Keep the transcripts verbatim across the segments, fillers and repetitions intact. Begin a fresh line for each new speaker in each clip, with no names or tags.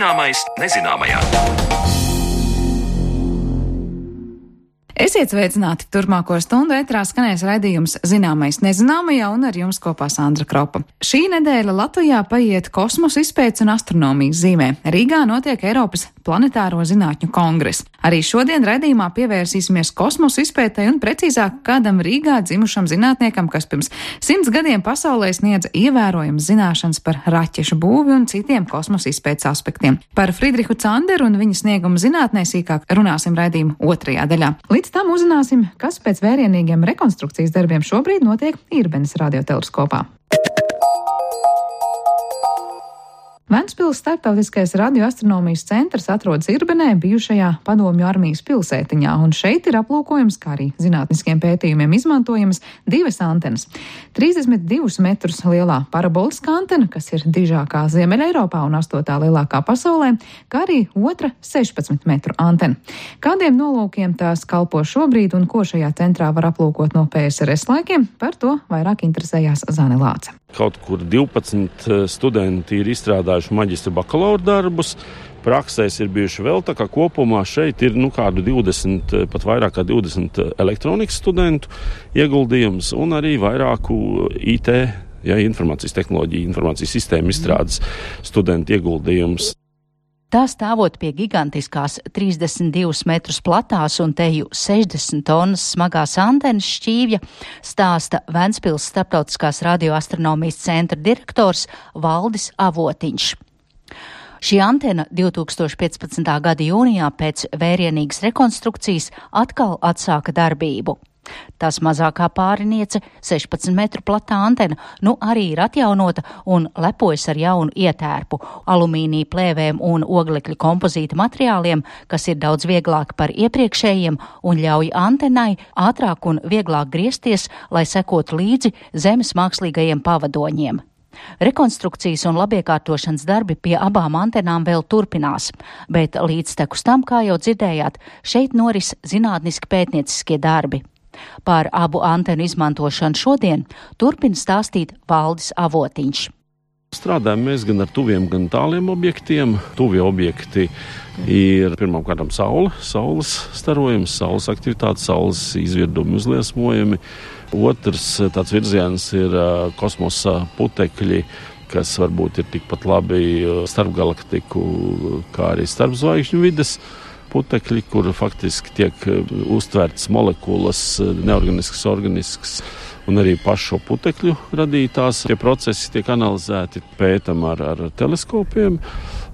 Zināmais nezināmajā.
Esiet sveicināti! Turpmāko stundu ētrā skanēs raidījums Zināmais nezināmajā un ar jums kopā Sandra Kropa. Šī nedēļa Latvijā paiet kosmosa izpētes un astronomijas zīmē. Rīgā notiek Eiropas planetāro zinātņu kongress. Arī šodien raidījumā pievērsīsimies kosmosa izpētei un precīzāk kādam Rīgā dzimušam zinātniekam, kas pirms simts gadiem pasaulē sniedza ievērojams zināšanas par raķešu būvi un citiem kosmosa izpētes aspektiem. Par Friedrihu Canderu un viņa sniegumu zinātnē sīkāk runāsim raidījuma otrajā daļā. Līdz tam uzzināsim, kas pēc vērienīgiem rekonstrukcijas darbiem šobrīd notiek Irbenes radioteleskopā. Ventspils starptautiskais radioastronomijas centrs atrodas Irbenē, bijušajā Padomju armijas pilsētiņā, un šeit ir aplūkojams, kā arī zinātniskiem pētījumiem izmantojamas divas antenas. trīsdesmit divus metrus lielā paraboliskā antena, kas ir dižākā Ziemeļa Eiropā un astotā lielākā pasaulē, kā arī otra sešpadsmit metru antena. Kādiem nolūkiem tās kalpo šobrīd un ko šajā centrā var aplūkot no P S R S laikiem, par to vairāk interesējās Zane Lāce.
Kaut kur divpadsmit studenti ir izstrādājuši maģistra bakalaura darbus, praksēs ir bijuši vēl, tā kā kopumā šeit ir nu kādu divdesmit, pat vairāk kā divdesmit elektronikas studentu ieguldījums un arī vairāku I T, ja, informācijas tehnoloģiju, informācijas sistēmu izstrādes studentu ieguldījums.
Tā stāvot pie gigantiskās trīsdesmit divus metrus platās un teju sešdesmit tonnas smagās antenas šķīvja, stāsta Ventspils starptautiskās radioastronomijas centra direktors Valdis Avotiņš. Šī antena divtūkstoš piecpadsmitā gada jūnijā pēc vērienīgas rekonstrukcijas atkal atsāka darbību. Tās mazākā pāriniece, sešpadsmit metru platā antena, nu arī ir atjaunota un lepojas ar jaunu ietērpu, alumīnija plēvēm un oglekļa kompozīta materiāliem, kas ir daudz vieglāki par iepriekšējiem un ļauj antenai ātrāk un vieglāk griezties, lai sekotu līdzi Zemes mākslīgajiem pavadoņiem. Rekonstrukcijas un labiekārtošanas darbi pie abām antenām vēl turpinās, bet līdztekus tam, kā jau dzirdējāt, šeit noris zinātniski pētnieciskie darbi. Par abu antenu izmantošanu šodien turpina stāstīt Valdis Avotiņš.
Strādājam mēs gan ar tuviem, gan tāliem objektiem. Tuvie objekti ir pirmkārt saule, saules starojums, saules aktivitāte, saules izvirdumi uzliesmojumi. Otrs tāds virziens ir kosmosa putekļi, kas varbūt ir tikpat labi starpgalaktiku, kā arī starpzvaigžņu vides putekļi, kur faktiski tiek uztvērtas molekulas, neorganiskas, organiskas, un arī pašu putekļu radītās. Tie procesi tiek analizēti, pētam ar, ar teleskopiem.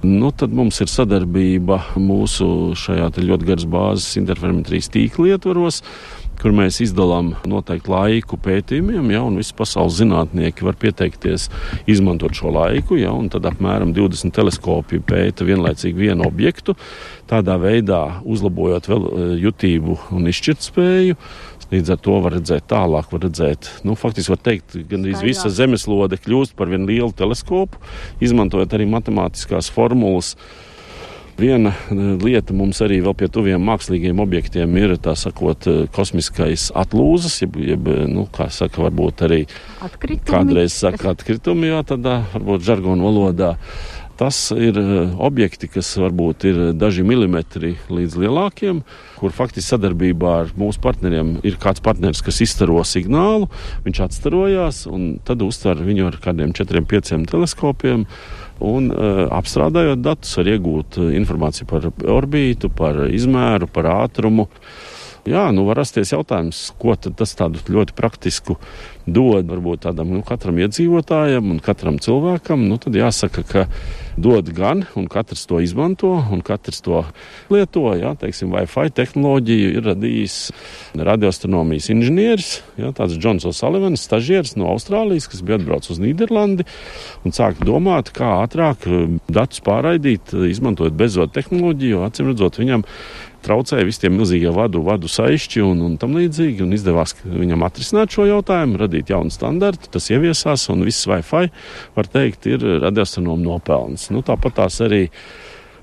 Nu, tad mums ir sadarbība mūsu šajā ļoti garas bāzes interferometrijas tīkla ietvaros, kur mēs izdalām noteiktu laiku pētījumiem, ja, un visi pasaules zinātnieki var pieteikties izmantot šo laiku, ja, un tad apmēram divdesmit teleskopi pēta vienlaicīgi vienu objektu, tādā veidā uzlabojot vēl jutību un izšķirtspēju. Līdz ar to var redzēt tālāk, var redzēt, nu, faktiski var teikt, gandrīz visa zemeslode kļūst par vienu lielu teleskopu, izmantojot arī matemātiskās formulas. Viena lieta mums arī vēl pie tuviem mākslīgiem objektiem ir, tā sakot, kosmiskais atlūzas, jeb, jeb nu, kā saka, varbūt arī
atkritumi.
Kādreiz saka atkritumi, jā, tādā, varbūt žargonu valodā. Tas ir objekti, kas varbūt ir daži milimetri līdz lielākiem, kur faktiski sadarbībā ar mūsu partneriem ir kāds partneris, kas izstaro signālu, viņš atstarojās un tad uztver viņu ar kādiem četriem, pieciem teleskopiem. Un uh, apstrādājot datus, var iegūt informāciju par orbītu, par izmēru, par ātrumu. Jā, nu var rasties jautājums, ko tad tas tādu ļoti praktisku dod varbūt tādam nu, katram iedzīvotājam un katram cilvēkam. Nu tad jāsaka, ka dod gan, un katrs to izmanto, un katrs to lieto. Jā, teiksim, Wi-Fi tehnoloģiju ir radījis radioastronomijas inženieris, jā, tāds Džons O'Sullivans, stažieris no Austrālijas, kas bija atbraucis uz Nīderlandi un sāka domāt, kā ātrāk datus pārraidīt, izmantojot bezvadu tehnoloģiju, acīm redzot viņam traucēja visi tie milzīgie vadu, vadu saišķi un, un tam līdzīgi, un izdevās viņam atrisināt šo jautājumu, radīt jaunu standartu, tas ieviesās, un viss Wi-Fi, var teikt, ir radioastronomu nopelns. Nu, tāpat tās arī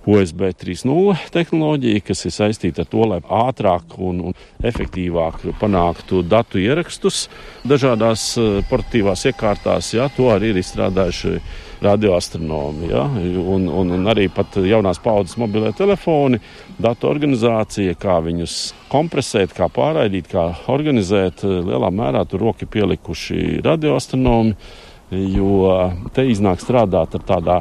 U S B trīs nulle tehnoloģija, kas ir saistīta ar to, lai ātrāk un, un efektīvāk panāktu datu ierakstus dažādās portatīvās iekārtās. Jā, to arī ir izstrādājuši radioastronomi. Ja? Un, un, un arī pat jaunās paudzes mobilē telefoni, datu organizācija, kā viņus kompresēt, kā pārraidīt, kā organizēt. Lielā mērā tur roki pielikuši radioastronomi, jo te iznāk strādāt ar tādā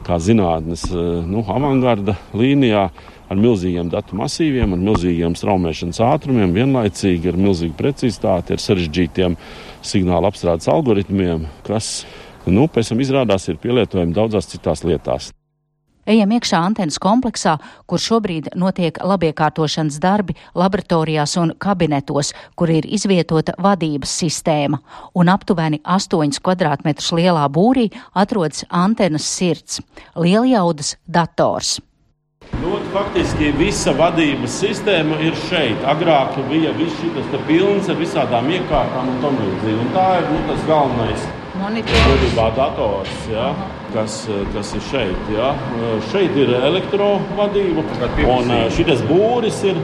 kā zinātnes nu, avangarda līnijā, ar milzīgiem datu masīviem, ar milzīgiem straumēšanas ātrumiem, vienlaicīgi ar milzīgu precizitāti, ar sarežģītiem signāla apstrādes algoritmiem, kas nu, pēc tam izrādās ir pielietojami daudzās citās lietās.
Ejam iekšā antenas kompleksā, kur šobrīd notiek labiekārtošanas darbi laboratorijās un kabinetos, kur ir izvietota vadības sistēma, un aptuveni astoņus kvadrātmetrus lielā būrī atrodas antenas sirds - lieljaudas dators.
Nu, faktiski visa vadības sistēma ir šeit. Agrāk bija viss šis te pilns ar visādām iekārtām un tam līdzīgi. Un tā ir nu, tas galvenais vadībā dators, ja, kas, kas ir šeit. Ja. Šeit ir elektrovadība, un šitas būris ir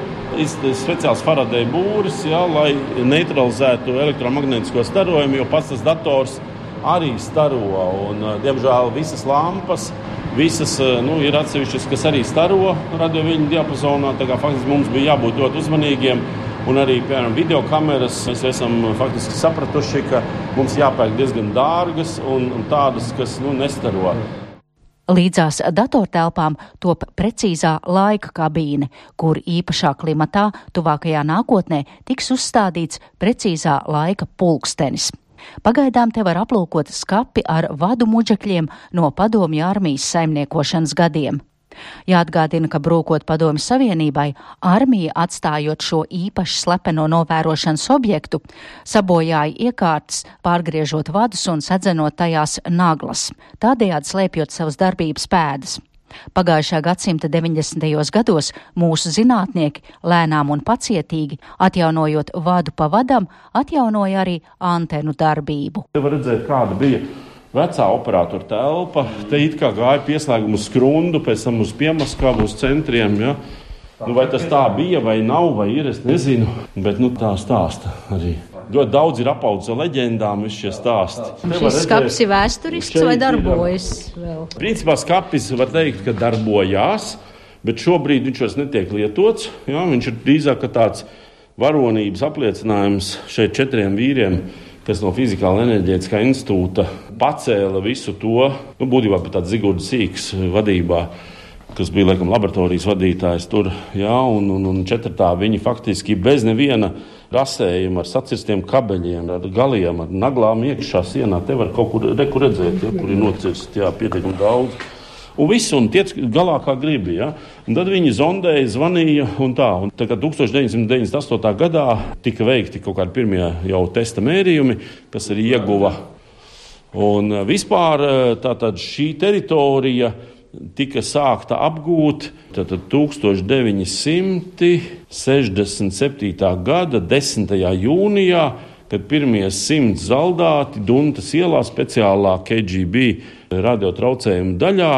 speciāls Faraday būris, ja, lai neutralizētu elektromagnētisko starojumu, jo pats tas dators arī staro. Un, diemžēl visas lampas, visas nu, ir atsevišķas, kas arī staro radioviļņu diapazonā. Tā kā faktiski mums bija jābūt ļoti uzmanīgiem. Un arī, piemēram, videokameras mēs esam faktiski sapratuši, ka mums jāpērk diezgan dārgas un, un tādas, kas nu, nestaro.
Līdzās datortelpām top precīzā laika kabīne, kur īpašā klimatā tuvākajā nākotnē tiks uzstādīts precīzā laika pulkstenis. Pagaidām te var aplūkot skapi ar vadu muģekļiem no Padomju armijas saimniekošanas gadiem. Jāatgādina, ka brūkot Padomju Savienībai, armija atstājot šo īpaši slepeno novērošanas objektu, sabojāja iekārtas, pārgriežot vadus un sadzenot tajās naglas, tādējādi slēpjot savas darbības pēdas. Pagājušā gadsimta deviņdesmitajos gados mūsu zinātnieki lēnām un pacietīgi, atjaunojot vadu pa vadam, atjaunoja arī antenu darbību.
Te var redzēt, kāda bija vecā operatora telpa. Te it kā gāja pieslēgumu uz skrundu, pēc tam uz Piemaskavu, uz centriem. Ja? Nu, vai tas tā bija, vai nav, vai ir, es nezinu, bet nu, tā stāsta arī. Ļoti daudz ir apaudzis ar leģendām, visi šie stāsti.
Šis skapis ir vēsturisks vai darbojas vēl?
Principā skapis var teikt, ka darbojās, bet šobrīd viņš vairs netiek lietots. Jā, viņš ir drīzāk tāds varonības apliecinājums šeit četriem vīriem, kas no Fizikāla enerģētiskā institūta pacēla visu to, nu, būtībā pat tāds Zigorda Sīks vadībā, kas bija, laikam, laboratorijas vadītājs tur, jā, un, un, un četratā viņi faktiski bez neviena rasējuma ar sacirstiem kabeļiem, ar galiem, ar naglām iekšā sienā. Te var kaut kur, reku redzēt, ja, kur ir nocirst, jā, pietiekami daudz. Un viss, un tiec galā kā gribi, ja. Un tad viņi zondēja, zvanīja un tā. Un tā kā tukstovš deviņsimt deviņdesmit astotajā gadā tika veikti kaut kādi pirmie jau testa mērījumi, kas arī ieguva. Un vispār tātad šī teritorija tika sākta apgūt tātad tūkstoš deviņi simti sešdesmit septītā gada desmitajā jūnijā, kad pirmie simts zaldāti Duntas ielā speciālā K G B radiotraucējuma daļā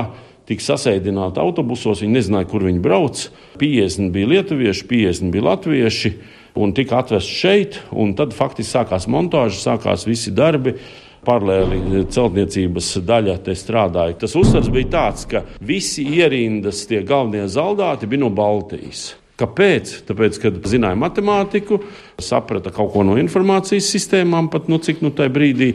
tika sasēdināti autobusos, viņi nezināja, kur viņi brauc. piecdesmit bija lietuvieši, piecdesmit bija latvieši un tika atvest šeit, un tad faktiski sākās montāža, sākās visi darbi. Paralēli celtniecības daļa te strādāja. Tas uzsvars bija tāds, ka visi ierindas tie galvenie zaldāti bija no Baltijas. Kāpēc? Tāpēc, kad zināja matemātiku, saprata kaut ko no informācijas sistēmām, pat nu cik nu tajā brīdī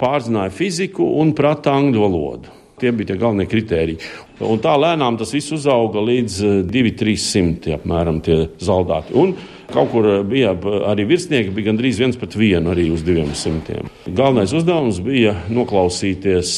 pārzināja fiziku un prata angļu valodu. Tie bija tie galvenie kritēriji. Un tā lēnām tas viss uzauga līdz divi trīs simti apmēram tie zaldāti. Un kaut kur bija arī virsnieki, bija gandrīz viens pret vienu arī uz diviem simtiem. Galvenais uzdevums bija noklausīties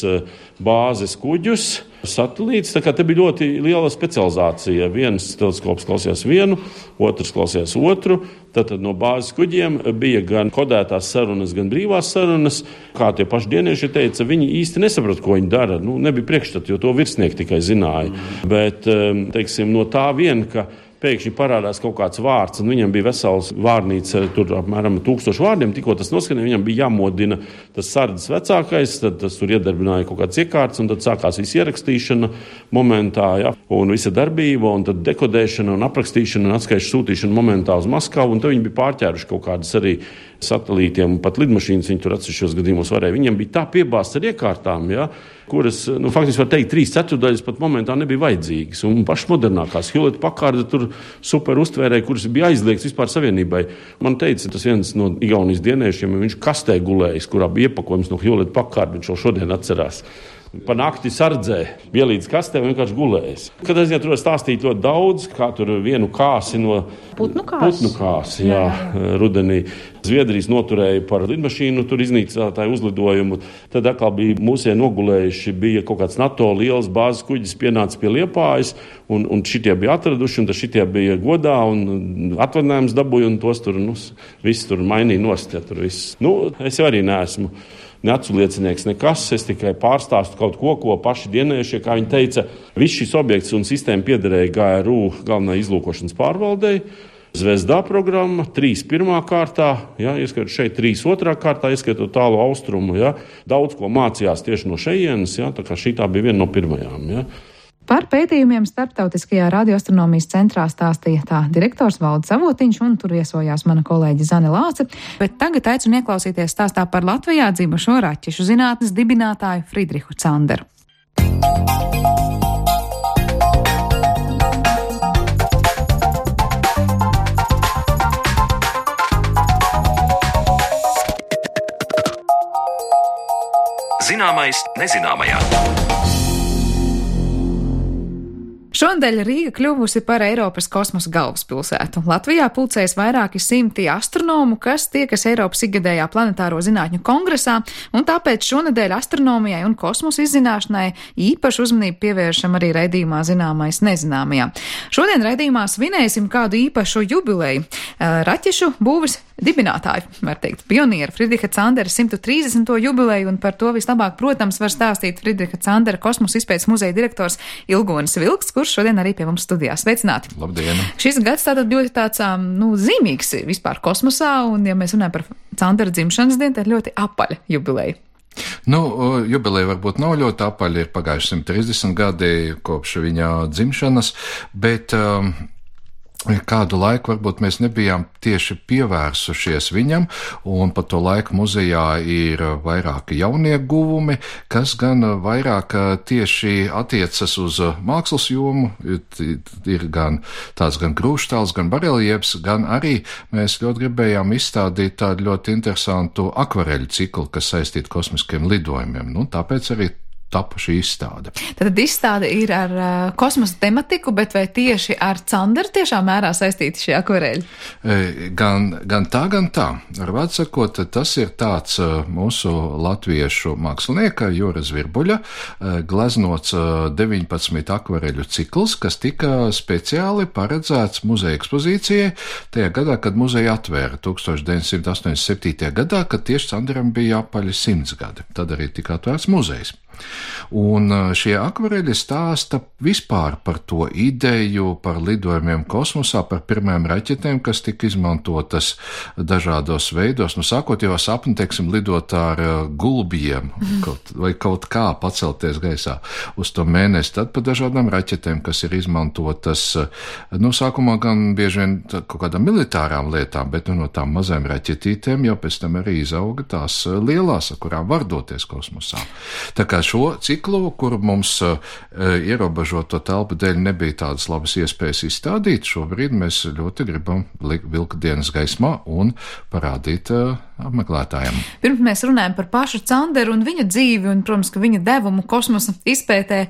bāzes kuģus, satelītus. Tā kā te bija ļoti liela specializācija. Viens teleskops klausījās vienu, otrs klausījās otru. Tad no bāzes kuģiem bija gan kodētās sarunas, gan brīvās sarunas. Kā tie paši dienieši teica, viņi īsti nesaprata, ko viņi dara. Nu, nebija priekšstata, jo to virsnieki tikai zināja. Mm. Bet, teiksim, no tā vien, ka pēkšņi parādās kaut kāds vārds, un viņam bija vesels vārnīca, tur apmēram tūkstoši vārdiem, tikko tas noskanēja, viņam bija jāmodina tas sardzes vecākais, tad tas tur iedarbināja kaut kāds iekārts, un tad sākās visa ierakstīšana momentā, ja, un visa darbība, un tad dekodēšana un aprakstīšana un atskaišu sūtīšana momentā uz Maskavu, un tad viņi bija pārķēruši kaut kādas arī satelītiem, pat lidmašīnas viņi tur atsevišķos gadījumos varēja. Viņiem bija tā piebāzta ar iekārtām, ja, kuras, nu, faktiski var teikt, trīs ceturdaļas pat momentā nebija vajadzīgas. Un pašas modernākās Hewlett Packard tur super uztvērēja, kuras bija aizliegts vispār savienībai. Man teica, tas viens no Igaunijas dieniešiem, viņš kastē gulējis, kurā bija iepakojums no Hewlett Packard, viņš jau šodien atcerās. Pa nakti sardzē, ielīdz kastē un vienkārši gulējis. Kad es tur stāstīju ļoti daudz, kā tur vienu kāsi no
putnu kāsi,
putnu kāsi jā, jā. rudenī. Zviedrijas noturēja par lidmašīnu, tur iznīcinātāju uzlidojumu. Tad atkal bija mūsie nogulējuši, bija kaut kāds NATO liels bāzes kuģis pienācis pie Liepājas, un, un šitie bija atraduši, un šitie bija godā, un atvaļinājums dabūja, un tos tur, nu, viss tur mainīja nost, ja tur viss. Nu, es jau arī neesmu neacu liecinieks nekas, es tikai pārstāstu kaut ko, ko paši dienējušie, kā viņi teica, viss šis objekts un sistēma piederēja G R U galvenai izlūkošanas pārvaldei. Zvezdā programma, trīs pirmā kārtā, ja, ieskatot šeit trīs otrā kārtā, ieskatot tālu austrumu, ja, daudz ko mācījās tieši no šejienes, ja, tā kā šī tā bija viena no pirmajām, ja.
Par pētījumiem starptautiskajā radioastronomijas centrā stāstīja tā direktors Valdis Avotiņš, un tur viesojās mana kolēģe Zane Lāce, bet tagad aicinu ieklausīties stāstā par Latvijā dzimušo raķešu zinātnes dibinātāju Friedrihu Canderu.
Zināmais nezināmajā.
Šonadēļ Rīga kļuvusi par Eiropas kosmosa galvaspilsētu. Latvijā pulcējas vairāki simti astronomu, kas tiekas Eiropas ikgadējā planetāro zinātņu kongresā, un tāpēc šonadēļ astronomijai un kosmosa izzināšanai īpašu uzmanību pievēršam arī raidījumā Zināmais nezināmajā. Šodien raidījumā svinēsim kādu īpašu jubileju. Raķešu būves dibinātāju, var teikt, pionieru Friedriha Candera simt trīsdesmito jubileju, un par to vislabāk, protams, var stāstīt Friedriha Candera kosmosa izpētes muzeja direktors Ilgonis Vilks, kurš šodien arī pie mums studijā. Sveicināti!
Labdien!
Šis gads tātad ļoti tāds, nu, zīmīgs vispār kosmosā, un, ja mēs runājam par Candera dzimšanas dienu, tad ļoti apaļa jubileja.
Nu, jubileja varbūt nav ļoti apaļa, ir pagājuši simt trīsdesmit gadi kopš viņa dzimšanas, bet um, kādu laiku varbūt mēs nebijām tieši pievērsušies viņam, un pa to laiku muzejā ir vairāki jaunie guvumi, kas gan vairāk tieši attiecas uz mākslas jomu, ir gan tāds gan grūštāls, gan bareljefs, gan arī mēs ļoti gribējām izstādīt tādu ļoti interesantu akvareļu ciklu, kas saistītu kosmiskiem lidojumiem. Nu, tāpēc arī tapa šī izstāde.
Tad izstāde ir ar uh, kosmosa tematiku, bet vai tieši ar Canderu tiešā mērā saistīti šie akvareļi?
E, gan, gan tā, gan tā. Ar vārdu sakot, tas ir tāds uh, mūsu latviešu mākslinieka Jūra Zvirbuļa uh, gleznots uh, deviņpadsmit akvareļu cikls, kas tika speciāli paredzēts muzeja ekspozīcijai tajā gadā, kad muzeja atvēra tūkstoš deviņsimt astoņdesmit septītajā gadā, kad tieši Canderam bija apaļi simts gadi. Tad arī tika atvērts muzejs. Un šie akvareļi stāsta vispār par to ideju, par lidojumiem kosmosā, par pirmajām raķetēm, kas tika izmantotas dažādos veidos. Nu, sākot jau sapni, teiksim, lidot ar gulbjiem kaut, vai kaut kā pacelties gaisā uz to mēnesi, tad par dažādām raķetēm, kas ir izmantotas, nu, sākumā gan bieži vien kaut kādām militārām lietām, bet nu, no tām mazām raķetītēm jau pēc tam arī izauga tās lielās, ar kurām var doties kosmosā. Tā kā šo ciklu, kuru mums uh, ierobežoto telpu dēļ nebija tādas labas iespējas izstādīt, šobrīd mēs ļoti gribam vilkt dienas gaismā un parādīt uh, apmeklētājiem.
Pirms mēs runājam par pašu Canderu un viņa dzīvi un, protams, ka viņa devumu kosmosa izpētē,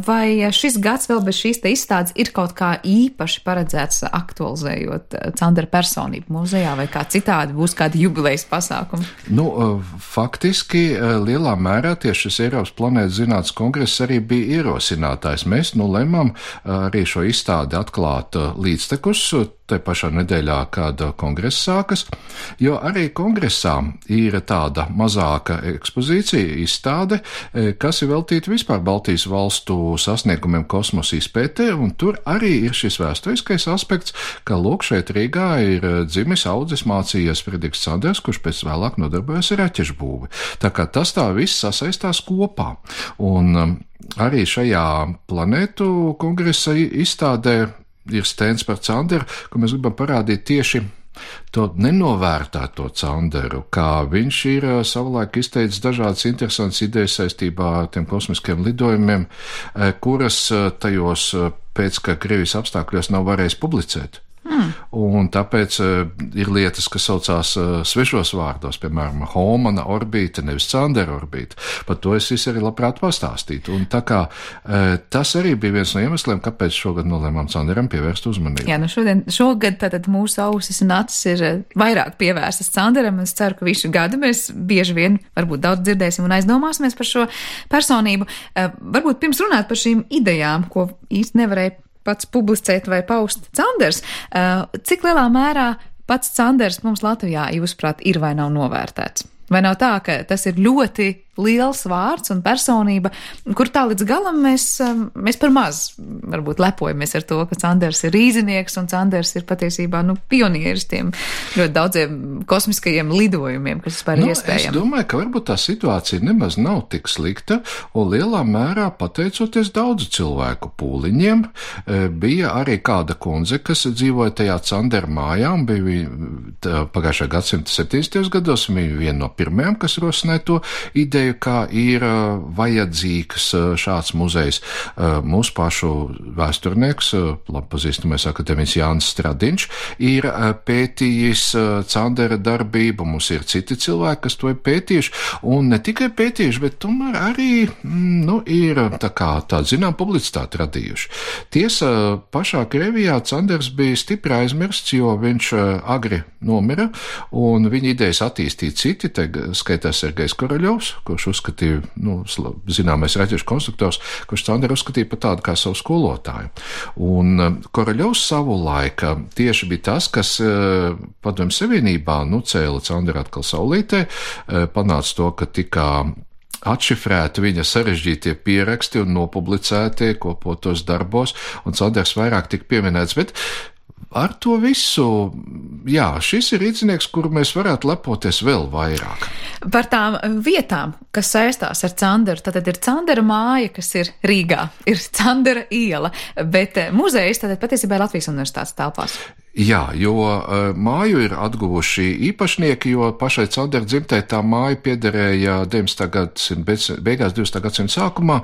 vai šis gads vēl bez šīs te izstādes ir kaut kā īpaši paredzēts aktualizējot Candera personību muzejā, vai kā citādi būs kādi jubilejas pasākumi?
Nu, faktiski lielā mērā tieši šis Eiropas planētas zinātnes kongress arī bija ierosinātājs. Mēs nu lemam arī šo izstādi atklāt līdztekus te pašā nedēļā, kad kongress sākas, jo arī kongresā ir tāda mazāka ekspozīcija, izstāde, kas ir veltīta vispār Baltijas valstu sasniegumiem kosmosa izpētē, un tur arī ir šis vēsturiskais aspekts, ka lūk šeit Rīgā ir dzimis, audzis, mācījies Friedrichs Canders, kurš pēc vēlāk nodarbojas ar raķešu būvi. Tā kā tas tā viss sasaistās kopā. Un arī šajā planētu kongresa izstādē ir stends par Canderu, ko mēs gribam parādīt tieši to nenovērtēt to Canderu, kā viņš ir savulaik izteicis dažādas interesantas idejas saistībā ar tiem kosmiskiem lidojumiem, kuras tajos pēc, ka Krievijas apstākļos nav varējis publicēt. Mm. Un tāpēc uh, ir lietas, kas saucās uh, svešos vārdos, piemēram, Homana orbīta, nevis Candera orbīta. Par to es visu arī labprāt pastāstītu. Un tā kā uh, tas arī bija viens no iemesliem, kāpēc šogad nolēmām Canderam pievērst uzmanību.
Jā, nu šodien, šogad tātad mūsu ausis un acis ir vairāk pievērstas Canderam. Es ceru, ka visu gadu mēs bieži vien varbūt daudz dzirdēsim un aizdomāsimies par šo personību. Uh, varbūt pirms runāt par šīm idejām, ko īsti nevarēja pats publicēt vai paust Canders. Cik lielā mērā pats Canders mums Latvijā, jūsuprāt, ir vai nav novērtēts? Vai nav tā, ka tas ir ļoti liels vārds un personība, kur tā līdz galam mēs, mēs par maz varbūt lepojamies ar to, ka Canders ir rīznieks un Canders ir patiesībā nu, pionieris tiem ļoti daudziem kosmiskajiem lidojumiem, kas vispār ir
nu,
iespējami.
Es domāju, ka varbūt tā situācija nemaz nav tik slikta, un lielā mērā pateicoties daudzu cilvēku pūliņiem, bija arī kāda kundze, kas dzīvoja tajā Candera mājā, un bija pagājušā gadsimta septīdesmitajos gados, un bija viena no pirmajām, kas rosināja to ideju, kā ir uh, vajadzīgs uh, šāds muzejs. Uh, mūsu pašu vēsturnieks, uh, labi pazīstamais akadēmiķis Jānis Stradiņš, ir uh, pētījis uh, Candera darbību, mums ir citi cilvēki, kas to ir pētījuši, un ne tikai pētījuši, bet tomēr arī, mm, nu, ir tā kā tāda, zinām, publicitāti radījuši. Tiesa, pašā Krievijā Canders bija stipri aizmirsts, jo viņš uh, agri nomira, un viņa idejas attīstīja citi, te skaitās Sergejs Koroļovs, kurš uzskatīja, nu, zināmais raķešu konstruktors, kurš Canderu uzskatīja par tādu kā savu skolotāju. Un Koroļovs savu laika tieši bija tas, kas Padomju Savienībā, nu, cēla Canderu atkal saulītē, panāca to, ka tikā atšifrēti viņa sarežģītie pieraksti un nopublicētie kopotos darbos, un Canders vairāk tika pieminēts, bet ar to visu, jā, šis ir rīcinieks, kuru mēs varētu lepoties vēl vairāk.
Par tām vietām, kas saistās ar Canderu, tad ir Candera māja, kas ir Rīgā, ir Candera iela, bet muzejs tad patiesībā ir Latvijas Universitātes telpās.
Jā, jo uh, māju ir atguvuši īpašnieki, jo pašai Candera dzimtei tā māja piederēja deviņdesmitā gadsimta beigās, divdesmitā gadsimta sākumā,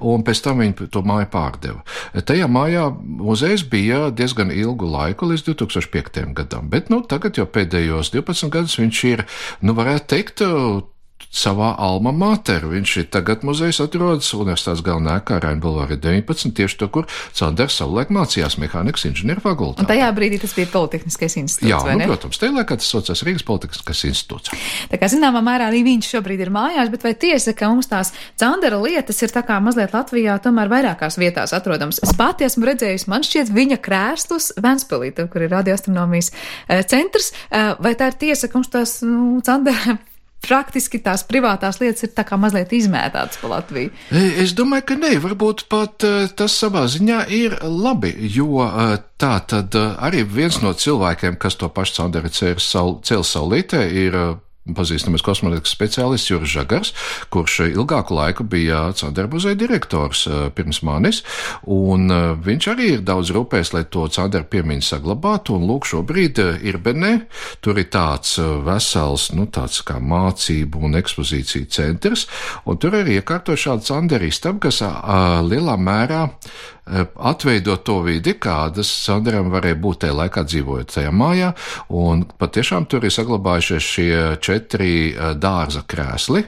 un pēc tam viņi to māju pārdeva. Tajā mājā muzejs bija diezgan ilgu laiku, līdz divi tūkstoši piektajam gadam, bet, nu, tagad jau pēdējos divpadsmit gadus viņš ir, nu, varētu teikt, savā alma mater. Viņš ir tagad muzejs atrodas Universitātes galvenā ēkā Raina bulvārā deviņpadsmit, tieši to, kur Canders savulaik mācījās mehānikas inženieru fakultātē.
Un tajā brīdī tas bija Politehniskais institūts,
jā,
vai ne?
Jā, nu, protams, tajā laikā tas saucās Rīgas Politehniskais institūts.
Tā kā zināmā mērā arī viņš šobrīd ir mājās, bet vai tiesa, ka mums tās Candera lietas ir tā kā mazliet Latvijā tomēr vairākās vietās atrodams? Es pati esmu redzējusi, man šķiet, viņa krēslus Ventspilī, kur ir radioastronomijas centrs, vai tā ir tiesa, ka mums tās, nu, Candera praktiski tās privātās lietas ir tā kā mazliet izmētātas pa Latviju?
Es domāju, ka ne, varbūt pat tas savā ziņā ir labi, jo tā tad arī viens no cilvēkiem, kas to pašu Canderu cēl saulītē, ir pazīstamies kosmonautisks speciālists Juris Žagars, kurš ilgāku laiku bija Candera muzeja direktors pirms manis, un viņš arī ir daudz rūpējis, lai to Candera piemiņu saglabātu, un lūk, šobrīd Irbenē, tur ir tāds vesels, nu, tāds kā mācību un ekspozīciju centrs, un tur ir iekārtot šādu Candera istabu, kas a, lielā mērā atveidot to vidi, kādas Canderam varēja būt tajā laikā dzīvojot tajā mājā, un patiešām tur ir saglabājušies šie četri dārza krēsli,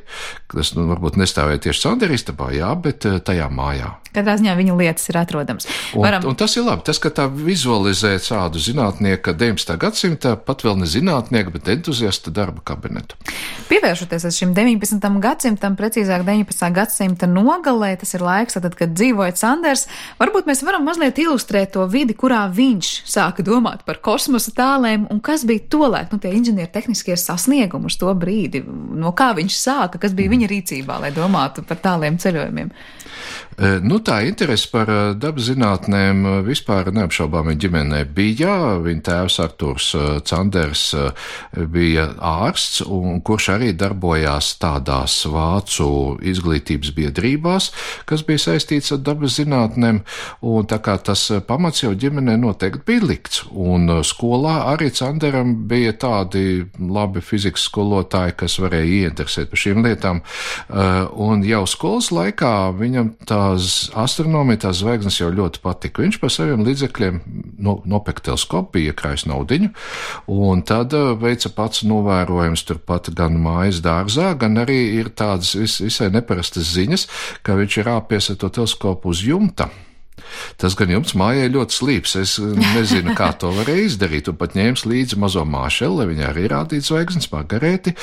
kas, nu, varbūt nestāvēja tieši Candera istabā, jā, bet tajā mājā.
Katrā ziņā viņa lietas ir atrodams.
Un, Varam... un tas ir labi, tas, ka tā vizualizē tādu zinātnieka deviņdesmitā gadsimta, pat vēl ne zinātnieka, bet entuziasta darba kabinetu.
Pievēršoties šim deviņpadsmitam gadsimtam, precīzāk deviņpadsmitā gadsimta nogalē, tas ir laiks, tad, kad dzīvoja Canders, varbūt mēs varam mazliet ilustrēt to vidi, kurā viņš sāka domāt par kosmosa tālēm, un kas bija tolaik, nu, tie inženieru tehniskie sasniegumi uz to brīdi, no kā viņš sāka, kas bija viņa rīcībā, lai domātu par tāliem ceļojumiem.
Nu, Nu, tā interese par dabas zinātnēm vispār neapšaubāmi ģimenē bija. Viņa tēvs Arturs Canders bija ārsts, un kurš arī darbojās tādās vācu izglītības biedrībās, kas bija saistīts ar dabas zinātnēm, un tā kā tas pamats jau ģimenē noteikti bija likts. Un skolā arī Canderam bija tādi labi fizikas skolotāji, kas varēja ieinteresēt par šīm lietām, un jau skolas laikā viņam tās astronomija, tās zvaigznes jau ļoti patika. Viņš par saviem līdzekļiem no, nopeka teleskopu, bija iekrājis naudiņu, un tad veica pats novērojums turpat gan mājas dārzā, gan arī ir tādas vis, visai neparastas ziņas, ka viņš ir āpies ar to teleskopu uz jumta. Tas gan jums mājai ļoti slīps, es nezinu, kā to varēja izdarīt, un pat ņēmis līdzi mazo māšeli, lai viņa arī rādītu zvaigznes Margarēti,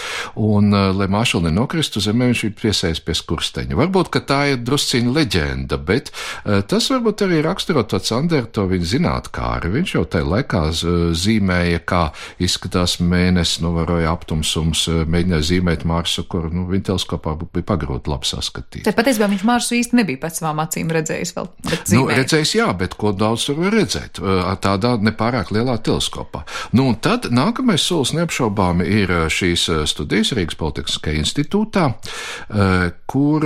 un, lai māšeli nenokristu zemē, viņš ir piesējis pie skursteņa. Varbūt, ka tā ir drusciņa leģenda, bet tas varbūt arī raksturo to Canderu, to viņa zinātkāri. Viņš jau tajā laikā zīmēja, kā izskatās mēnesis, novēroja aptumsums, mēģināja zīmēt Marsu, kur, nu, viņa teleskopā bija pagrūti labi saskatīt.
Tad patiesībā viņš Marsu īsti nebija pēc savām acīm redzējis vēl, bet zīmēja.
Nu, redzējis, jā, bet ko daudz tur var redzēt tādā nepārāk lielā teleskopā. Nu, un tad nākamais solis neapšaubāmi ir šīs studijas Rīgas Politehniskajā institūtā, kur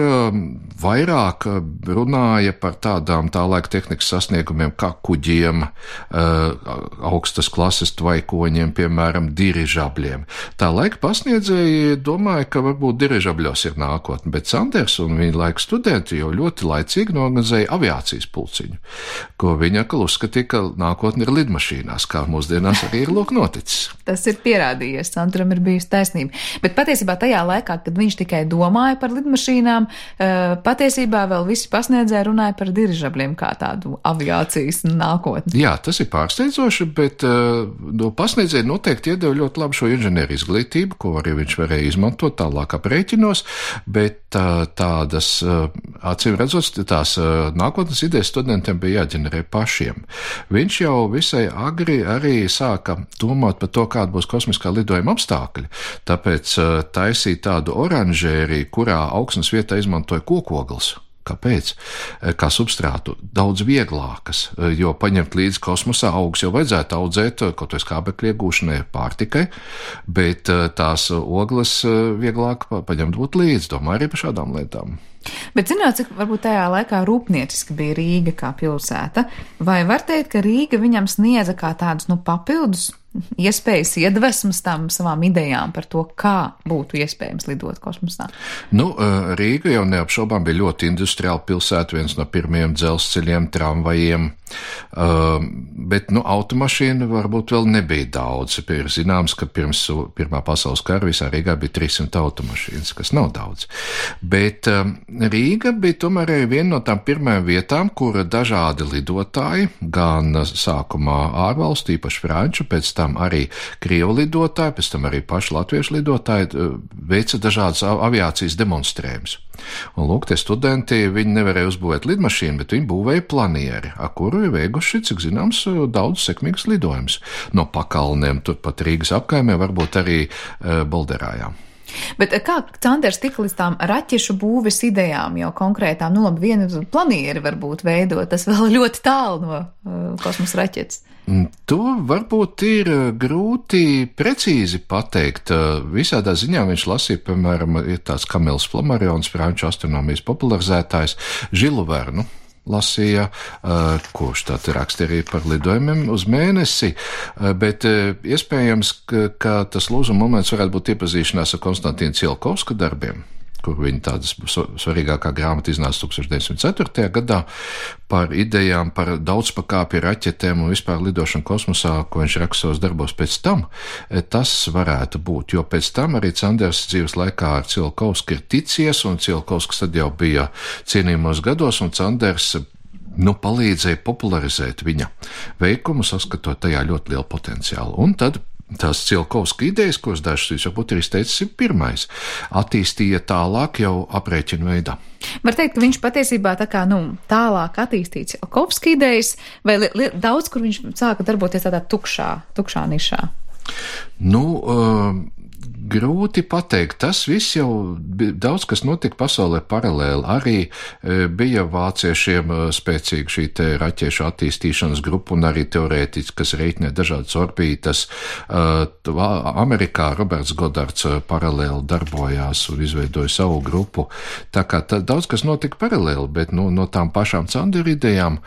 vairāk runāja par tādām tā laika tehnikas sasniegumiem kā kuģiem, augstas klases tvaikoņiem, piemēram, dirižabļiem. Tā laika pasniedzēji domāja, ka varbūt dirižabļos ir nākotne, bet Canders un viņa laika studenti jau ļoti laicīgi norganizēja aviācijas pulciņu, ko viņa atkal uzskatīja, ka nākotne ir lidmašīnās, kā mūsdienās arī ir lūk noticis.
Tas ir pierādījies, Canderam ir bijusi taisnība. Bet patiesībā tajā laikā, kad viņš tikai domāja par lidmašīnām, patiesībā vēl visi pasniedzēji runāja par dirižabļiem kā tādu aviācijas nākotni.
Jā, tas ir pārsteidzoši, bet no pasniedzēji noteikti iedeva ļoti labu šo inženieru izglītību, ko arī viņš varēja izmantot tālāk aprēķinos, bet tādas, acīm redzot, tās nākotnes idejas studentiem bija jāģenerē pašiem. Viņš jau visai agri arī sāka domāt par to, kāda būs kosmiskā lidojuma apstākļi, tāpēc taisīja tādu oranžēriju, kurā augsnes vietā izmantoja kokogles. Kāpēc? Kā substrātu daudz vieglākas, jo paņemt līdzi kosmosā augus jau vajadzētu audzēt kaut vai skābekļa iegūšanai pārtikai, bet tās ogles vieglāk paņemt būt līdzi, domāju arī par šādām lietām.
Bet zināt, cik varbūt tajā laikā rūpnieciski bija Rīga kā pilsēta, vai var teikt, ka Rīga viņam sniedza kā tādus, nu, papildus iespējas iedvesmas tam savām idejām par to, kā būtu iespējams lidot kosmosā?
Nu, Rīga jau neapšaubām bija ļoti industriāla pilsēta, viens no pirmajiem dzelzceļiem, tramvajiem, bet, nu, automašīnu varbūt vēl nebija daudz. Ir zināms, ka pirms Pirmā pasaules kara visā Rīgā bija trīs simt automašīnas, kas nav daudz. Bet Rīga bija tomēr arī viena no tām pirmajām vietām, kur dažādi lidotāji, gan sākumā ārvalstu, īpaši franču, pēc tam arī krievu lidotāji, pēc tam arī paši latviešu lidotāji veica dažādas aviācijas demonstrējumus. Un lūk, tie studenti, viņi nevarēja uzbūvēt lidmašīnu, bet viņi būvēja planieri, ar kuru ir veikuši, cik zināms, daudz sekmīgas lidojumus. No pakalniem, turpat Rīgas apkaimē, varbūt arī e, Bolderājā.
Bet kā Canders tika līdz tām raķešu būves idejām jau konkrētām? Nu labi, vienu planieri varbūt veidot, tas vēl ļoti tālu no uh, kosmosa raķetes.
To varbūt ir grūti precīzi pateikt. Visādā ziņā viņš lasīja, piemēram, ir tāds Kamils Flammarions, franču astronomijas popularizētājs, Žilu Vernu. Lasīja, kurš tad raksta arī par lidojumiem uz mēnesi, bet iespējams, ka, ka tas lūzuma moments varētu būt iepazīšanās ar Konstantīna Cielkovska darbiem, kur viņa tādas svarīgākā grāmata iznāca tūkstoš deviņsimt ceturtajā gadā par idejām par daudzpakāpju raķetēm un vispār lidošanu kosmosā, ko viņš raksta savos darbos pēc tam. Tas varētu būt, jo pēc tam arī Canders dzīves laikā ar Cielkovsku ir ticies, un Cielkovsks tad jau bija cienījumos gados, un Canders nu, palīdzēja popularizēt viņa veikumu, saskatot tajā ļoti lielu potenciālu. Un tad tās Cielkovska idejas, kuras dažas jūs varbūt ir izteicis, ir pirmais, attīstīja tālāk jau aprēķinu veidā.
Var teikt, ka viņš patiesībā tā kā, nu, tālāk attīstīja Cielkovska idejas, vai li, li, daudz, kur viņš sāka darboties tādā tukšā, tukšā nišā?
Nu, uh, grūti pateikt. Tas viss jau daudz, kas notika pasaulē paralēli. Arī bija vāciešiem spēcīga šī te raķešu attīstīšanas grupa un arī teorētiski, kas reiķinē dažādas orbītas. Amerikā Roberts Godards paralēli darbojās un izveidoja savu grupu. Tā kā tā, daudz, kas notika paralēli, bet nu, no tām pašām Canderu idejām,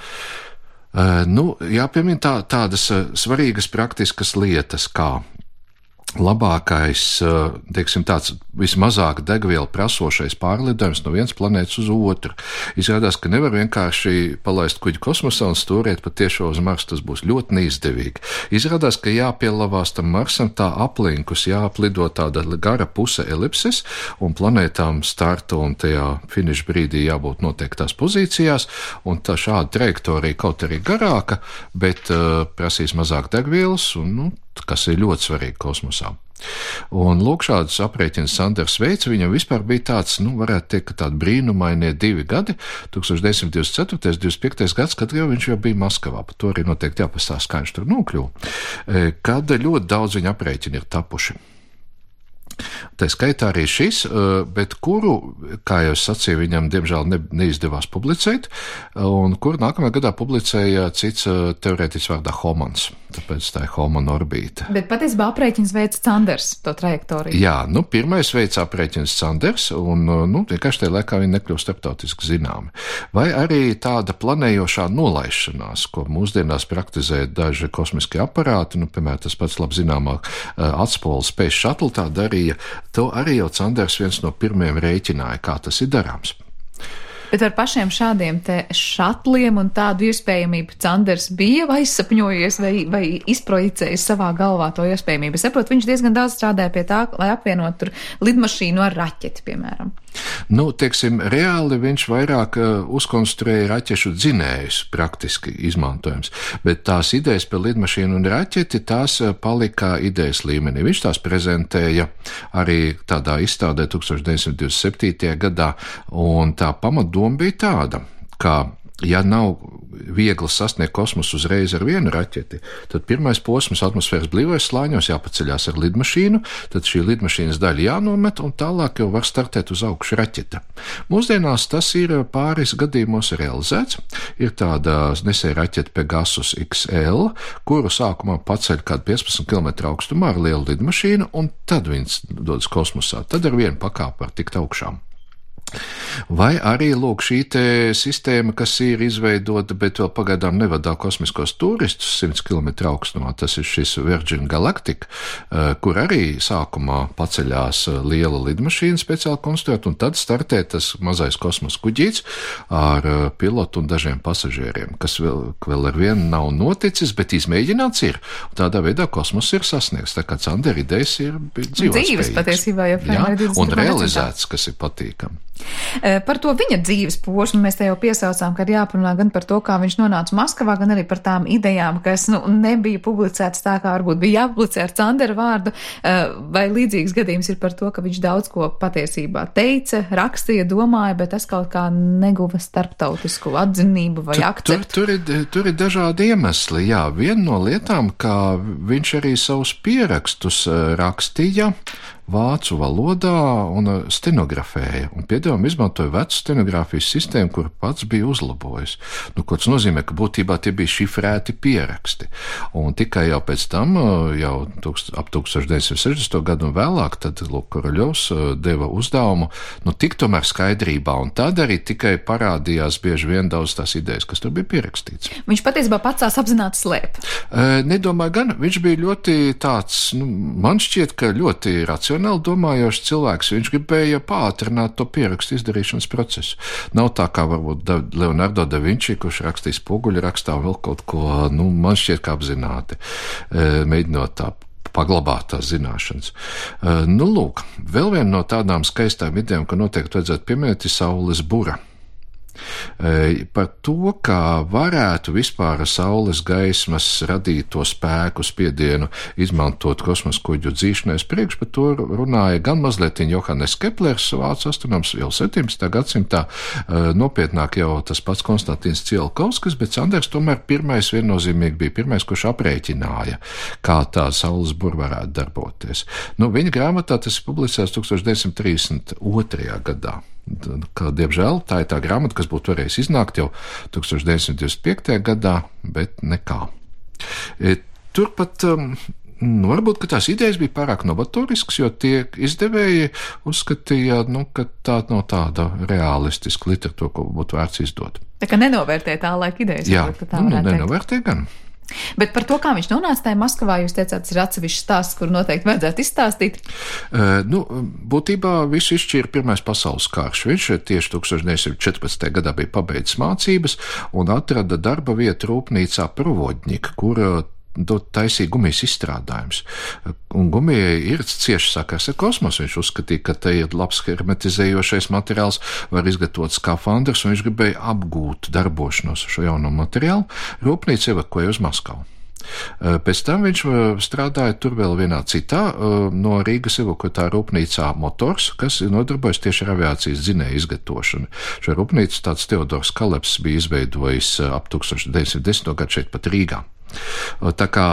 nu, jāpiemina tā, tādas svarīgas praktiskas lietas, kā labākais, teiksim, tāds vismazāk degvielu prasošais pārlidojums no vienas planētas uz otru. Izrādās, ka nevar vienkārši palaist kuģi kosmosā un stūriet patiešo uz Marsu, tas būs ļoti neizdevīgi. Izrādās, ka jāpielavās tam Marsam tā aplinkus, jāaplido tāda gara puse elipses, un planētām starta un tajā finiša brīdī jābūt noteiktās pozīcijās, un tā šāda trajektorija kaut arī garāka, bet uh, prasīs mazāk degvielas, un, nu, kas ir ļoti svarīgi kosmosā. Un lūk, šādus aprēķinus Sanders veica, viņam vispār bija tāds, nu, varētu teikt, ka tādi brīnumainie divi gadi, tūkstoš deviņsimt divdesmit ceturtais, divdesmit piektais gads, kad jau viņš jau bija Maskavā, par to arī noteikti jāpastāst, kā viņš tur nokļuva, kad ļoti daudz viņa aprēķini ir tapuši. Tā skaitā arī šis, bet kuru, kā jau es sacīju, viņam diemžēl ne, neizdevās publicēt, un kuru nākamajā gadā publicēja cits teorētiķis vārdā Homans, tāpēc tā ir Homana orbīta.
Bet patiesībā aprēķins veica Sanders, to trajektoriju.
Jā, nu, pirmais veica aprēķins Sanders, un, nu, vienkārši tajā laikā viņi nekļūst starptautiski zināmi. Vai arī tāda planējošā nolaišanās, ko mūsdienās praktizē daži kosmiskie aparāti, nu, piemēram, tas pats labi zināmāk atspoles Space Shuttle tā darīja, to arī jau Sanders viens no pirmiem rēķināja, kā tas ir darāms.
Bet ar pašiem šādiem te šatliem un tādu iespējamību Sanders bija vai izsapņojies vai, vai izprojicējis savā galvā to iespējamību? Es saprotu, viņš diezgan daudz strādāja pie tā, lai apvienot tur lidmašīnu ar raķeti, piemēram.
Nu, teiksim, reāli viņš vairāk uh, uzkonstruēja raķešu dzinējus, praktiski izmantojams, bet tās idejas par lidmašīnu un raķeti, tās uh, palika idejas līmenī. Viņš tās prezentēja arī tādā izstādē tūkstoš deviņsimt divdesmit septītajā gadā, un tā pamatdoma bija tāda, ka ja nav viegli sasniegt kosmosu uzreiz ar vienu raķeti, tad pirmais posms atmosfēras blīvais slāņos jāpaceļās ar lidmašīnu, tad šī lidmašīnas daļa jānomet un tālāk jau var startēt uz augšu raķeta. Mūsdienās tas ir pāris gadījumos realizēts. Ir tāda nesēja raķeta Pegasus X L, kuru sākumā paceļ kādu piecpadsmit kilometru augstumā ar lielu lidmašīnu, un tad viņas dodas kosmosā. Tad ar vienu pakāpu var tikt augšām. Vai arī, lūk, šī te sistēma, kas ir izveidota, bet vēl pagaidām nevadā kosmiskos turistus simts kilometru augstumā, tas ir šis Virgin Galactic, kur arī sākumā paceļās liela lidmašīna speciāli konstruēta, un tad startē tas mazais kosmosa kuģīts ar pilotu un dažiem pasažieriem, kas vēl, vēl ar vienu nav noticis, bet izmēģināts ir. Un tādā veidā kosmos ir sasniegts, tā kā Sandera idejas ir dzīvotspējīgas.
Dzīves patiesībā, ja
jā, un realizēts, kas ir patīkami.
Par to viņa dzīves posmu mēs te jau piesaucām, ka ir jāparunā gan par to, kā viņš nonāca Maskavā, gan arī par tām idejām, kas nu, nebija publicētas tā, kā varbūt bija jāpublicē ar Sandera vārdu, vai līdzīgs gadījums ir par to, ka viņš daudz ko patiesībā teica, rakstīja, domāja, bet tas kaut kā neguva starptautisku atzinību vai akceptu.
Tur, tur, ir, tur ir dažādi iemesli, jā. Viena no lietām, kā viņš arī savus pierakstus rakstīja vācu valodā un stenografēja, un piedāvām izmantoja vecu stenogrāfijas sistēmu, kur pats bija uzlabojis. Nu, ko tas nozīmē, ka būtībā tie bija šifrēti pieraksti. Un tikai jau pēc tam, jau tūkst, ap tūkstoš deviņsimt sešdesmito gadu un vēlāk, tad, lūk, Koroļovs deva uzdevumu, nu, tik tomēr skaidrībā, un tad arī tikai parādījās bieži vien daudz tās idejas, kas tur bija pierakstīts.
Viņš patiesībā pats tās apzināti slēp.
E, nedomāju gan, viņš bija ļoti tāds, nu, man šķiet, ka ļoti racionāli domājošs cilvēks, viņš gribēja pātrināt to pierakstu izdarīšanas procesu. Nav tā kā varbūt Leonardo da Vinci, kurš rakstīs spoguļu rakstā vēl kaut ko, nu, man šķiet kā apzināti, mēģinot tā paglabāt tās zināšanas. Nu, lūk, vēl viena no tādām skaistām idejām, ka noteikti vajadzētu pieminēt, ir saules bura. Par to, kā varētu vispār saules gaismas radīto spēku spiedienu izmantot kosmosa kuģu dzīšanais priekš, par to runāja gan mazliet Johannes Keplers, vācu astronoms jau septiņpadsmitā gadsimtā, nopietnāk jau tas pats Konstantins Tsiolkovskis, bet Sanders tomēr pirmais viennozīmīgi bija pirmais, kurš aprēķināja, kā tā saules bura varētu darboties. Nu, viņa grāmatā tas ir publicēts tūkstoš deviņsimt trīsdesmit otrajā gadā. Kā, diemžēl, tā ir tā grāmata, kas būtu varējis iznākt jau tūkstoš deviņsimt divdesmit piektajā gadā, bet nekā. E, turpat, um, nu, varbūt, ka tās idejas bija pārāk novatorisks, jo tie izdevēji uzskatīja, nu, ka tā nav tāda realistiska literatūra, ko būtu vērts izdot.
Tā kā nenovērtē tā laika idejas.
Jā,
varbūt, tā
nu, nenovērtē gan.
Bet par to, kā viņš nonāca tajā Maskavā, jūs teicāt, tas ir atsevišķs stāsts, kur noteikti vajadzētu izstāstīt?
Uh, nu, būtībā visu izšķīra Pirmais pasaules karš. Viņš tieši tūkstoš deviņsimt četrpadsmitajā gadā bija pabeidzis mācības un atrada darba vietu rūpnīcā Provodņika, kur taisīja gumijas izstrādājums. Un gumijai ir cieši sakars ar kosmosu. Viņš uzskatīja, ka te ir labs hermetizējošais materiāls, var izgatavot skafandrus, un viņš gribēja apgūt darbošanos šo jauno materiālu. Rūpnīca evakuēja uz Maskavu. Pēc tam viņš strādāja tur vēl vienā citā no Rīgas evakuētā rūpnīcā Motors, kas nodarbojas tieši ar aviācijas dzinēju izgatavošanu. Šo rūpnīcu tāds Teodors Kaleps bija izveidojis ap tūkstoš deviņsimt desmito gadu šeit pat Rīgā. Tā kā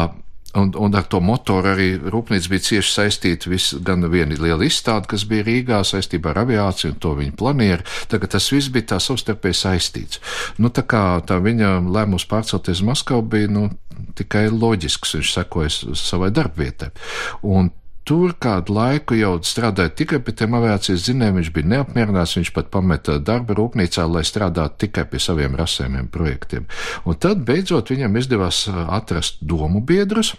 Un, un ar to motoru arī rūpnīca bija cieši saistīta vis, gan viena liela izstāde, kas bija Rīgā saistībā ar aviāciju un to viņa planieri, tā kā tas viss bija tā savstarpēji saistīts. Nu, tā kā tā viņa lēmums pārcelties Maskavu bija, nu, tikai loģisks, viņš sekoja savai darbvietai. Un tur kādu laiku jau strādāja tikai pie tiem aviācijas dzinējiem, viņš bija neapmierināts, viņš pat pameta darba rūpnīcā, lai strādātu tikai pie saviem rasējumiem projektiem. Un tad beidzot viņam izdevās atrast domu biedrus,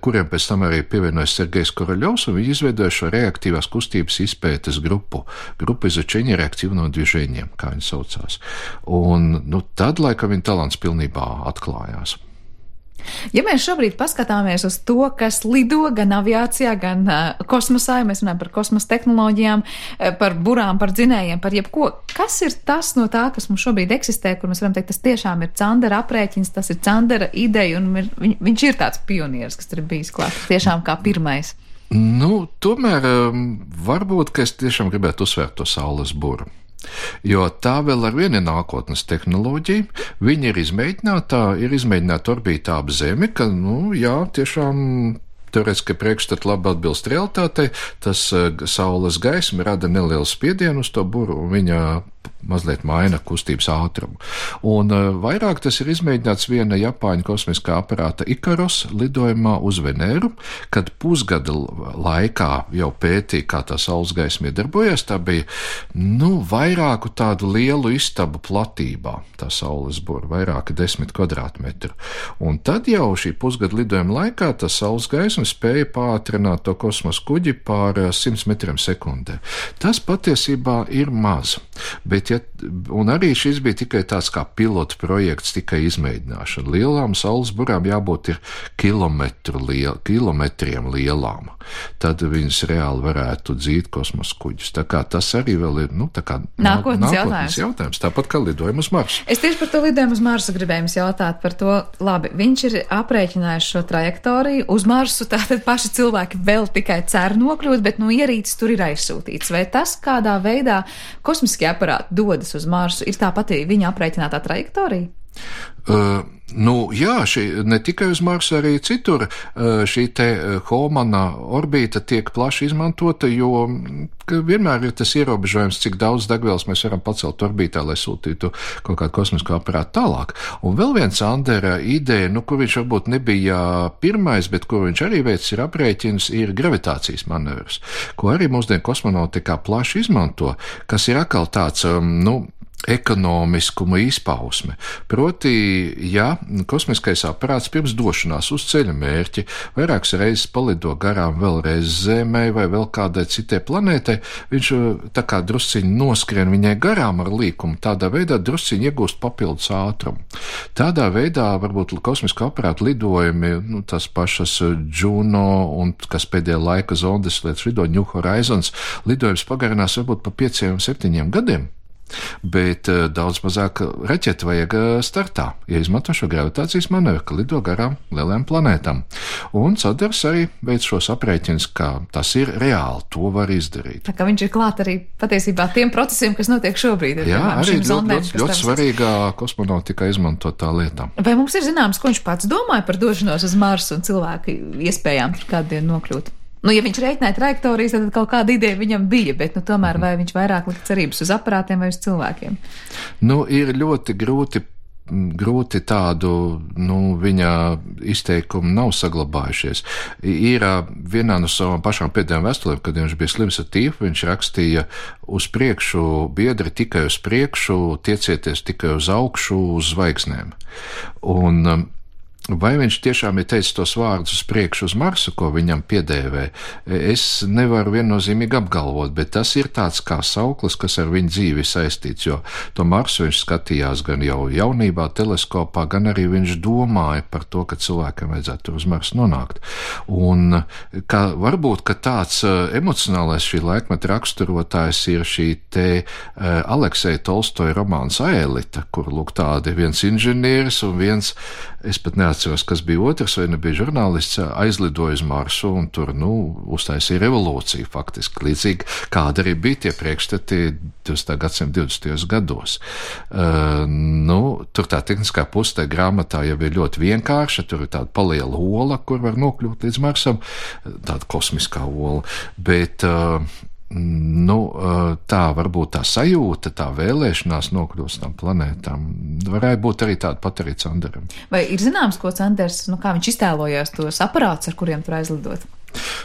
kuriem pēc tam arī pievienojas Sergejs Koroļovs, un viņi izveidoja šo reaktīvās kustības izpētes grupu, grupu izučeņa reaktīvno dviženiem, kā viņi saucās. Un, nu, tad, laikam, viņa talants pilnībā atklājās.
Ja mēs šobrīd paskatāmies uz to, kas lido gan aviācijā, gan uh, kosmosā, ja mēs runājam par kosmosa tehnoloģijām, uh, par burām, par dzinējiem, par jebko, kas ir tas no tā, kas mums šobrīd eksistē, kur mēs varam teikt, tas tiešām ir Candera aprēķins, tas ir Candera ideja, un ir, viņ, viņš ir tāds pionieris, kas tur ir bijis klāt, tiešām kā pirmais.
Nu, tomēr um, varbūt, ka es tiešām gribētu uzsvērt to saules buru. Jo tā vēl ar vienu nākotnes tehnoloģiju, viņa ir izmēģināta, ir izmēģināta orbītā ap Zemi, ka, nu, jā, tiešām teorētiski priekšstat labi atbilst realitātei, tas saules gaisma rada nelielu spiedienu uz to buru, un viņa mazliet maina kustības ātrumu. Un uh, vairāk tas ir izmēģināts viena Japāņu kosmiskā aparāta Ikaros lidojumā uz Venēru, kad pusgada laikā jau pētīja, kā tā saules gaisma iedarbojas. Tā bija, nu, vairāku tādu lielu istabu platībā, tā saules bura, vairāki desmit kvadrātmetru. Un tad jau šī pusgada lidojuma laikā tā saules gaisma spēja pātrināt to kosmosa kuģi pār simts metriem sekundē. Tas patiesībā ir maz, bet ja, un arī šis bija tikai tāds kā pilotu projekts, tikai izmēģināšana. Lielām saules burām jābūt ir kilometru liel, kilometriem lielām. Tad viņas reāli varētu dzīt kosmosa kuģus. Tā kā tas arī vēl ir, nu, tā kā
nākotnes, nākotnes
jautājums. jautājums. Tāpat kā lidojumu uz Marsu.
Es tieši par to lidojumu uz Marsu gribēju jums jautāt par to, labi, viņš ir aprēķinājis šo trajektoriju uz Marsu, tātad paši cilvēki vēl tikai cer nokļūt, bet, nu, ierīces tur ir aizsūtīts. Vai tas, kādā veidā kosmiskie aparāti dodas uz Marsu, ir tā pati viņa aprēķinātā trajektorija?
Uh, nu, jā, šī, ne tikai uz Marsu, arī citur uh, šī te Homana orbīta tiek plaši izmantota, jo vienmēr ir tas ierobežojums, cik daudz degvielas mēs varam pacelt orbītā, lai sūtītu kaut kādu kosmisko aparātu tālāk. Un vēl viens Andera ideja, nu, kur viņš varbūt nebija pirmais, bet kur viņš arī veids ir aprēķins, ir gravitācijas manevrs, ko arī mūsdienu kosmonautikā plaši izmanto, kas ir atkal tāds, um, nu, ekonomiskuma izpausme. Proti, ja kosmiskais aparāts pirms došanās uz ceļa mērķi vairākas reizes palido garām vēlreiz Zemē vai vēl kādai citai planētai, viņš tā kā drusciņi noskrien viņai garām ar līkumu, tādā veidā drusciņi iegūst papildus ātrumu. Tādā veidā varbūt kosmisko aparātu lidojumi, nu, tas pašas Juno un kas pēdējā laika zondes lietas lido New Horizons, lidojums pagarinās varbūt pa pieciem, septiņiem gadiem. bet uh, daudz mazāk raķetu vajag uh, startā, ja izmanto šo gravitācijas manevru, ka lido garām lielajām planētām. Un Sanders arī veic šos aprēķinus, ka tas ir reāli, to var izdarīt.
Tā kā viņš ir klāt arī patiesībā tiem procesiem, kas notiek šobrīd.
Jā,
piemēram,
arī ļoti,
zondēm,
ļoti, ļoti svarīgā kosmonautikā izmantotā lietā.
Vai mums ir zināms, ko viņš pats domāja par došanos uz Marsu un cilvēku iespējām tur kādu dienu nokļūt? Nu, ja viņš reiķināja trajektorijas, tad kaut kāda ideja viņam bija, bet, nu, tomēr vai viņš vairāk lika cerības uz aparātiem vai uz cilvēkiem?
Nu, ir ļoti grūti, grūti tādu, nu, viņa izteikumu nav saglabājušies. Ir vienā no savām pašām pēdējām vēstulēm, kad viņš bija slims ar tīfu, viņš rakstīja uz priekšu, biedri tikai uz priekšu, tiecieties tikai uz augšu, uz zvaigznēm. Un vai viņš tiešām ir teicis tos vārdus uz priekšu uz Marsu, ko viņam piedēvē, es nevaru viennozīmīgi apgalvot, bet tas ir tāds kā sauklis, kas ar viņu dzīvi saistīts, jo to Marsu viņš skatījās gan jau jaunībā teleskopā, gan arī viņš domāja par to, ka cilvēkam vajadzētu uz Marsu nonākt. Un kā, varbūt, ka tāds emocionālais šī laikmeta raksturotājs ir šī te Alekseja Tolstoja romāns Aelita, kur lūk tādi viens inženieris un viens, es pat neatceros, kas bija otrs, vai nebija žurnālists, aizlidoja uz Marsu un tur, nu, uztaisīja revolūciju faktiski, līdzīgi kāda arī bija tie priekšstati divdesmitā gadsimta divdesmitajos gados. Uh, nu, tur tā tehniskā puse tā grāmatā jau ir ļoti vienkārša, tur ir tāda paliela ola, kur var nokļūt līdz Marsam, tāda kosmiskā ola, bet uh, nu, tā varbūt tā sajūta, tā vēlēšanās nokļūst tam planētām, varētu būt arī tāda pat arī Sanderam.
Vai ir zināms, ko Sanders, nu kā viņš iztēlojās tos aparātus, ar kuriem tur aizlidot?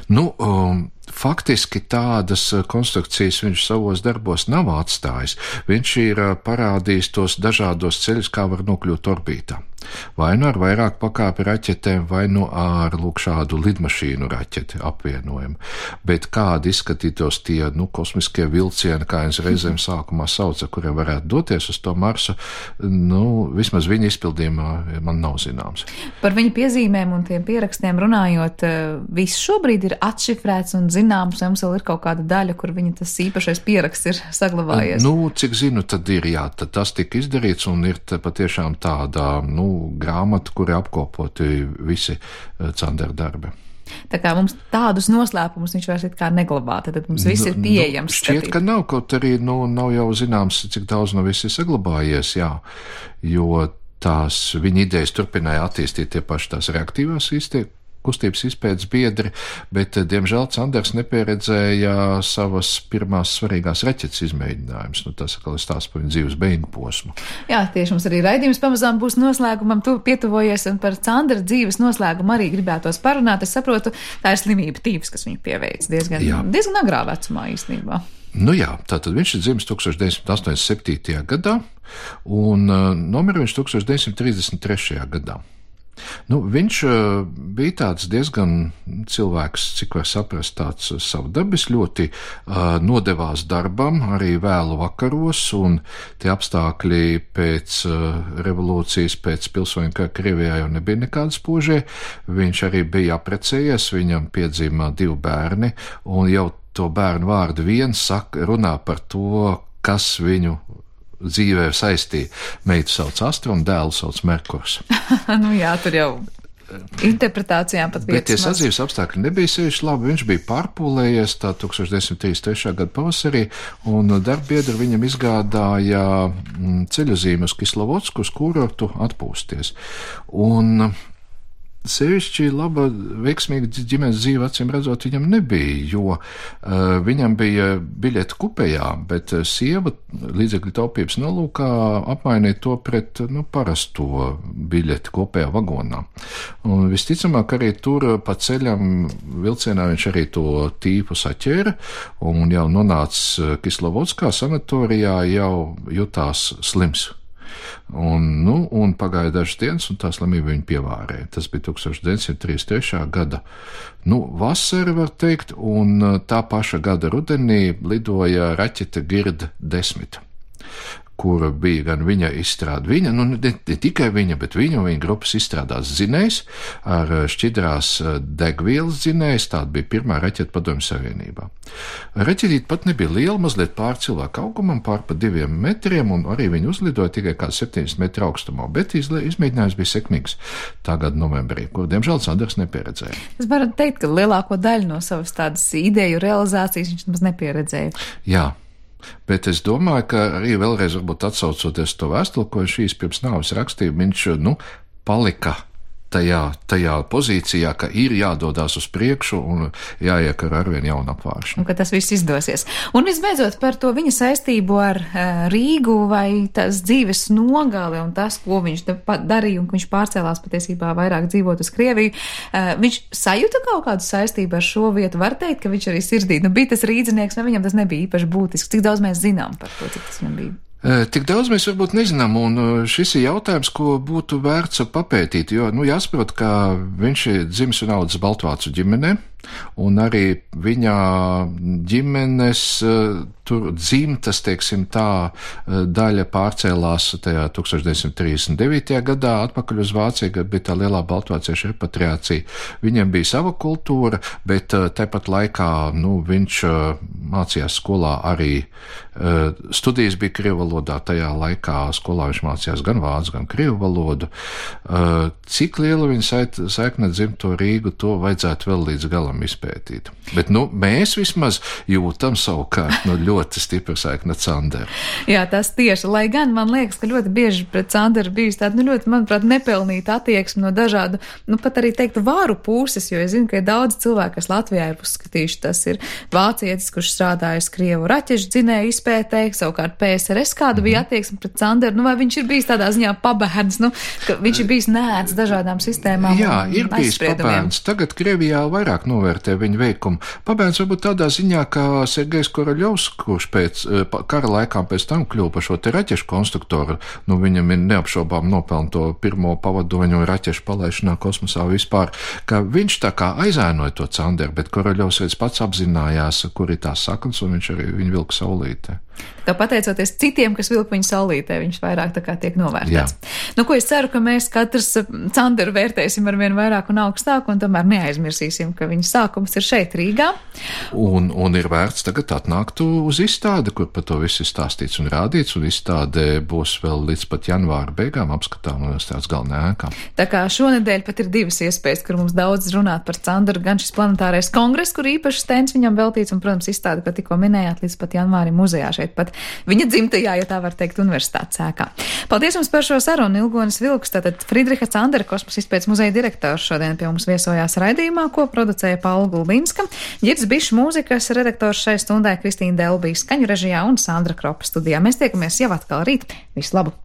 Nu, um, faktiski tādas konstrukcijas viņš savos darbos nav atstājis. Viņš ir parādījis tos dažādos ceļus, kā var nokļūt orbītā. Vai nu ar vairāk pakāpi raķetēm, vai nu ar lūk šādu lidmašīnu raķeti apvienojumu. Bet kādi izskatītos tie, nu, kosmiskie vilcieni, kā viņš reizēm sākumā sauca, kuriem varētu doties uz to Marsu, nu, vismaz viņa izpildījumā man nav zināms. Par
viņa piezīmēm un tiem pierakstiem runājot, viss šobrīd ir atšifrēts un zināms, vai mums vēl ir kaut kāda daļa, kur viņa tas īpašais pieraksts ir saglabājies?
Nu, cik zinu, tad ir, jā, tad tas tika izdarīts un ir patiešām tāda, nu, grāmata, kuri apkopoti visi Sandera darbi.
Tā kā mums tādus noslēpumus viņš vairs it kā neglabā, tad mums viss ir pieejams.
Nu, šķiet, skatīt. Ka nav, kaut arī, nu, nav jau zināms, cik daudz no viss ir saglabājies, jā, jo tās viņa idejas turpināja attīstīt tie paši tās reaktīvās izteikti. Kustības izpētes biedri, bet, diemžēl, Sanders nepieredzēja savas pirmās svarīgās raķetes izmēģinājumus. Nu, tas atkal ir stāsts par viņa dzīves beigu posmu.
Jā, tieši mums arī raidījums pamazām būs noslēgumam, tu pietuvojies, un par Sandera dzīves noslēgumu arī gribētos parunāt. Es saprotu, tā ir slimība tīvs, kas viņu pieveic diezgan, diezgan agrā vecumā īstenībā.
Nu jā, tātad viņš ir dzimis tuksneša deviņsimt astoņdesmit septītajā gadā, un uh, nomira viņš tuksneša deviņsimt trīsdesmit trešajā gadā. Nu, viņš uh, bija tāds diezgan cilvēks, cik var saprast, tāds savdabis, ļoti uh, nodevās darbam, arī vēlu vakaros, un tie apstākļi pēc uh, revolūcijas, pēc pilsoņu kara Krievijā jau nebija nekāda spožie. Viņš arī bija apprecējies, viņam piedzima divi bērni, un jau to bērnu vārdu viens saka, runā par to, kas viņu dzīvē saistīja. Meitu sauc Astra un dēlu sauc Merkurs.
Nu jā, tur jau interpretācijām pat vietas.
Bet tie sadzīves apstākļi nebija sevišķi labi. Viņš bija pārpūlējies tā deviņdesmit trīsdesmit trešā gada pavasarī, un darbbiedri viņam izgādāja ceļojumu uz Kislovodsku, uz kurortu atpūsties. Un sevišķi laba, veiksmīga ģimenes dzīve, acīm redzot, viņam nebija, jo uh, viņam bija biļete kupejā, bet uh, sieva līdzekļu taupības nolūkā apmainīja to pret, nu, parasto biļeti kopējā vagonā. Un visticamāk arī tur pa ceļam vilcienā viņš arī to tīpu saķēra, un jau nonāca Kislovodskā sanatorijā, jau jutās slims. Un, nu, un pagāja dažas dienas, un tā slimība viņu pievārēja. Tas bija deviņdesmit trīsdesmit trešā gada, nu, vasara, var teikt, un tā paša gada rudenī lidoja raķete Gird desmit, kur bija gan viņa izstrāde, viņa, nu ne, ne tikai viņa, bet viņa un viņa grupas izstrādās dzinējs ar šķidrās degvielas dzinējs, tāda bija pirmā raķeta Padomju Savienībā. Raķetīte pat nebija liela, mazliet pār cilvēku augumam, pār pa diviem metriem, un arī viņi uzlidoja tikai kāds septiņdesmit metru augstumā, bet izle, izmēģinājums bija sekmīgs tā gada novembrī, kur, diemžēl, Sanders nepieredzēja.
Es varu teikt, ka lielāko daļu no savas tādas ideju realizācijas viņš maz nepieredzēja.
Jā. Bet es domāju, ka arī vēlreiz varbūt atsaucoties to vēstuli, ko šīs pirms nāves rakstīja, viņš, nu, palika tajā, tajā pozīcijā, ka ir jādodās uz priekšu un jāiekar arvien jauna apvāršana.
Un ka tas viss izdosies. Un visbeidzot par to viņa saistību ar uh, Rīgu vai tās dzīves nogali un tas, ko viņš darīja un ka viņš pārcēlās patiesībā vairāk dzīvot uz Krieviju. Uh, viņš sajuta kaut kādu saistību ar šo vietu. Var teikt, ka viņš arī sirdī, nu, bija tas rīdzinieks, vai viņam tas nebija īpaši būtisks. Cik daudz mēs zinām par to, cik tas viņam bija?
Tik daudz mēs varbūt nezinām, un šis ir jautājums, ko būtu vērts papētīt, jo, nu, jāsaprot, ka viņš ir dzimis un audzis Baltvācu ģimenē, un arī viņa ģimenes tur dzimtas, teiksim tā, daļa pārcēlās tajā tūkstoš deviņsimt trīsdesmit devītajā gadā atpakaļ uz Vāciju, kad bija tā lielā baltvāciešu repatriācija. Viņiem bija sava kultūra, bet tāpat laikā, nu, viņš mācījās skolā arī, studijas bija krievu valodā, tajā laikā skolā viņš mācījās gan vācu, gan krievu valodu. Cik liela viņa saikne dzimto Rīgu, to vajadzētu vēl līdz galam izpētīt. Bet, nu, mēs vismaz jūtam savukārt, nu, ļoti stipra saikne Sanderu.
Jā, tas tieši, lai gan man liekas, ka ļoti bieži pret Sanderu bijis tāda, nu, ļoti, manuprāt, nepelnīta attieksme no dažādu, nu, pat arī teiktu vāru puses, jo es zinu, ka ir daudz cilvēku, kas Latvijā ir uzskatījuši, tas ir vācietis, kurš strādājas Krievu raķešu dzinēju izpētē, savukārt P S R S kāda bija attieksme pret Sanderu, nu, vai viņš ir bijis tādā ziņā pabērns, nu, ka viņš ir bijis nēts dažādām sistēmām.
Jā, ir bijis pabērns. Tagad Krievijā vairāk novērtē viņa veikumu. Pabērns varbūt tādā ziņā, ka Sergejs Koroļovs, kurš pēc kara laikām pēc tam kļuva par šo te raķešu konstruktoru, nu viņam ir neapšaubām nopelna to pirmo pavadoņu raķešu palaišanā kosmosā vispār, ka viņš tā kā aizēnoja to Sanderu, bet Koroļovs reiz pats apzinājās, kur ir tās saknes, un viņš arī viņu vilka saulītē.
Tā pateicoties citiem, kas vilka viņu saulītē, viņš vairāk tā kā tiek novērtēts. Jā. Nu, ko es ceru, ka mēs katrs Sanderu vērtēsim ar vien vairāk un augstāk, un tomēr neaizmirsīsim, ka viņa sākums ir šeit Rīgā.
Un, un ir vērts tagad atnākt uz izstādi, kur par to viss ir stāstīts un rādīts, un izstāde būs vēl līdz pat janvāra beigām apskatām universitātes galvenajā ēkā. Tā
kā šonedēļ pat ir divas iespējas, kur mums daudz runāt par Sanderu, gan šis planetārais kongress, kur īpaši stends viņam veltīts, un, protams, izstāde, ko tikko minējāt, līdz pat janvārim muzejā šeit pat viņa dzimtajā, ja tā var teikt, universitātes ēkā. Paldies jums par šo sarunu, Ilgonis Vilks, tātad Friedriha Sandera kosmosa izpētes muzeja direktors šodien pie mums viesojās raidījumā, ko producēja Paula Gulbinska, Ģirs Bišs mūzikas redaktors šai stundai, Kristīna Delbija skaņu režijā un Sandra Kropa studijā. Mēs tiekamies jau atkal rīt. Visu labu!